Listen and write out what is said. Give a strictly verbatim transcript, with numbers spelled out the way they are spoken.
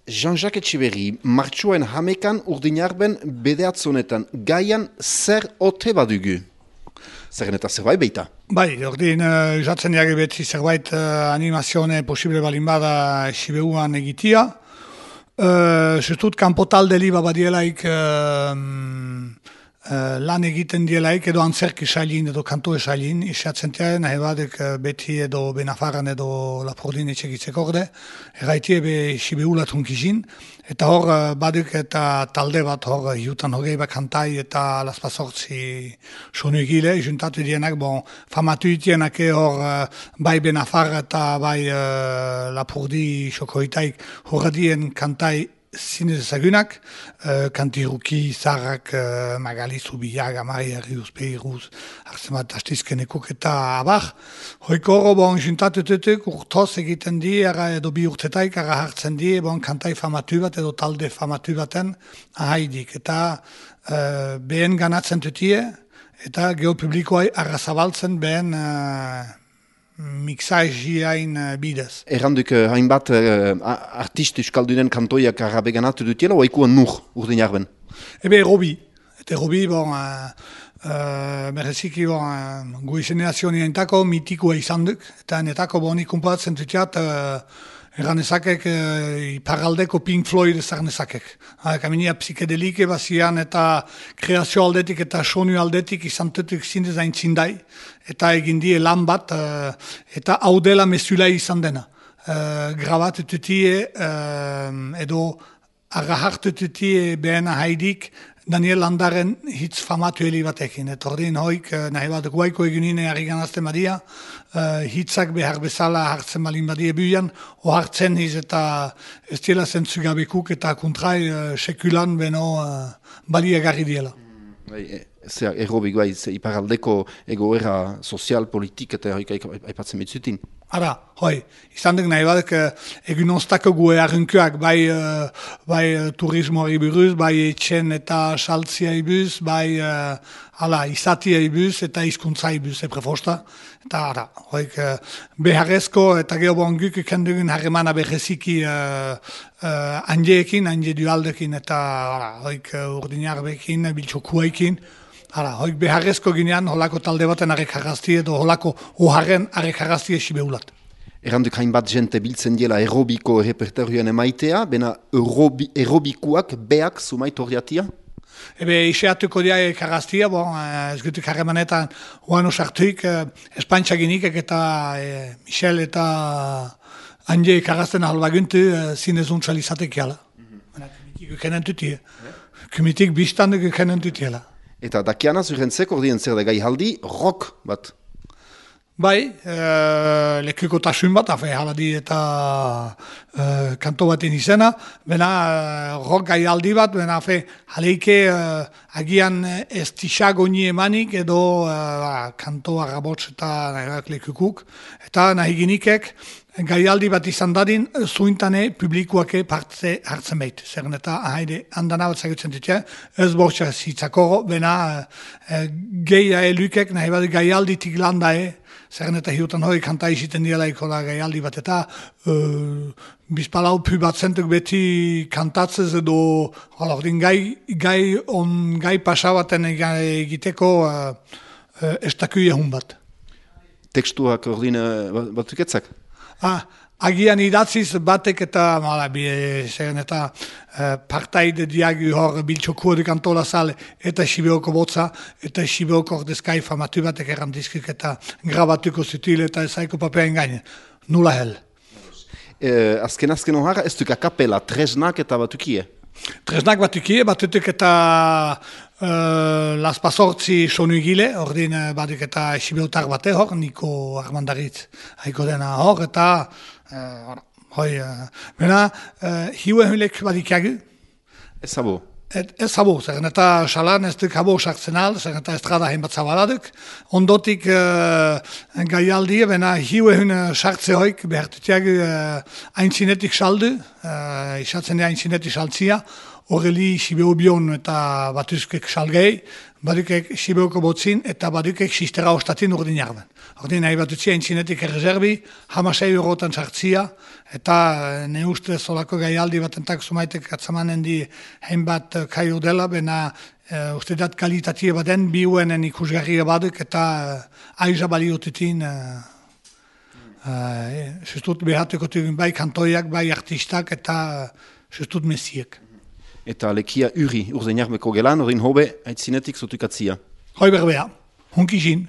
Jean-Jacques Etxeberri, martxoen hamekan urdinarben bedeatzonetan gaian zer ote badugu? Zerren eta zerbait beita? Bai, ordin, uh, jatzen jage beti zerbait uh, animazione posible balin bada Sibeuan egitia. Uh, Zustut, kanpo talde liba badielaik uh, uh, lan egiten dielaik edo antzerki sailin edo kanto sailin, isatzen tia, nahi badek uh, beti edo Benafarran edo Lapordin etxegitzek orde, erraitie be Sibeulatun kizin, eta hor uh, baduk eta talde bat hor uh, hiutan hogei bat kantai eta laspazortzi sonu egile, juntatu dienak, bon, famatu itienak hor uh, bai Benafarra eta bai uh, Lapordi xokoitaik horradien kantai zinez ezagunak, uh, kantiruki, zarrak, uh, Magali, Zubiaga, Maria, Rius, Peiruz, hartzen bat astizkenekuk eta abar. Hoiko horro, bon, juntatutetuk urtoz egiten di, ara edo bi urtetaik, ara hartzen di, bon, kantai famatu bat edo talde famatu baten ahaidik. Eta uh, behen ganatzen tutie, eta geopublikoai arra zabaltzen behen uh, mixajiain bidez. Erranduk hainbat uh, artist euskaldunen kantoiak arabe ganatu dutiela, oaikuan nur urdinarben? Ebe, Robi. Eta Robi, bon, uh, uh, bereziki, bon, uh, goi generazionentako mitikoa izan duk, eta netako bon ikumpatzen dutiat, uh, erranezakek uh, iparaldeko Pink Floyd ezarnezakek. Uh, kaminia psikedelike bazian eta kreazio aldetik eta sonu aldetik izan tutuk zindez aintzindai, eta egin die lan bat, uh, eta hau dela mesula izan dena. Uh, grabatututie uh, edo arra hartututie behena haidik Daniel Landaren hitz famatu heli batekin. Eta ordin hoik, nahi bat guaiko egunine harri ganazten badia, uh, hitzak behar bezala hartzen balin badie buian, o hartzen hiz eta ez diela zentzugabekuk eta kontrai uh, sekulan beno uh, balia garri diela. Bai, zer, errobik bai, iparaldeko egoera sozial, politik eta hoik aipatzen bitzutin. Ara, hoi, izan duk nahi badek egun oztako gue arrunkoak, bai, uh, bai uh, turismoari buruz, bai etxen eta saltziai buruz, bai uh, ala, izatiai buruz eta hizkuntzai buruz, eprefosta. Eta ara, hoik, uh, beharrezko eta geobon guk ikendugun harremana beheziki uh, uh, handiekin, handie dualdekin eta ara, hoik uh, urdinarbekin, biltxokuaikin. Hala, hoik beharrezko ginean, holako talde baten arek harrazti edo holako oharren arek harrazti esibeulat. Erranduk hainbat jente biltzen diela aerobiko repertorioen emaitea, bena aerobi, aerobikuak beak sumait horriatia? Ebe, iseatuko dia harraztia, bon, ez gutuk harremanetan oan osartuik, espantxaginik eta e, Michel eta Anje harrazten ahalbaguntu zinezuntzal izatek jala. Mm-hmm. Kumitik ukenen tutie. Kumitik biztanduk ukenen tutiela. Eta dakiana zurentzek ordien zer da gai haldi, rock bat? Bai, e, lekuko tasun bat, afe, haladi eta e, kanto baten izena, bena rock gai haldi bat, bena afe, haleike e, agian ez tixago ni emanik edo e, kanto arrabotz eta nahiak lekukuk, eta nahi ginikek, gaialdi bat izan dadin, zuintane publikoake partze hartzen behit. Zerren eta haide handana bat zagutzen ditia, ez bortxa zitzakoro, bena e, geia elukek nahi bat gaialditik landae, zerren eta hiutan hori kanta iziten dialaiko da gaialdi bat, eta e, bizpalau pu bat zentuk beti kantatzez edo hala, ordin gai, gai on gai pasabaten egiteko e, e, estakuia hun bat. Tekstuak ordin batuketzak? Ah, agian idatziz batek eta mala, bi, zeren eta eh, partaide diagi hor biltxokuodik antola zale eta Sibeoko botza eta Sibeoko ordezkai famatu batek errandizkik eta grabatuko zutil eta ezaiko papean gaine. Nula hel. Eh, azken azken ohara, ez duk akapela, tresnak eta batukie? Tresnak batukie, batutuk eta uh, laspazortzi sonu egile, ordin uh, baduk eta Sibeotar bate hor, Niko Armandaritz haiko dena hor, eta uh, hoi, uh, bena, uh, hiue hulek badikagu. Ez abo? Et, ez abo, zeren eta salan ez duk abo sartzen al, zeren eta estrada hain bat zabaladuk. Ondotik uh, gaialdi, bena hiue hun sartze hoik, behartutiagu uh, aintzinetik saldu, uh, isatzen da aintzinetik saltzia, horreli Sibeu bion eta batuzkek salgei, badukek Sibeuko botzin eta badukek sistera ostatin urdin jarben. Ordin nahi batutzia entzinetik errezerbi, hamasei eurotan sartzia, eta ne uste zolako gaialdi batentak sumaitek atzamanen di hainbat kai udela, bena Uh, uste dat kalitatie baden biuenen ikusgarria baduk eta uh, aiza baliotetin uh, uh, sustut behatuko tugin bai kantoiak, bai artistak eta uh, sustut mesiek. Eta lekia uri urdenjarbeko gelan, orin hobe, aitzinetik zutukatzia. Hoi berbea, hunkizin.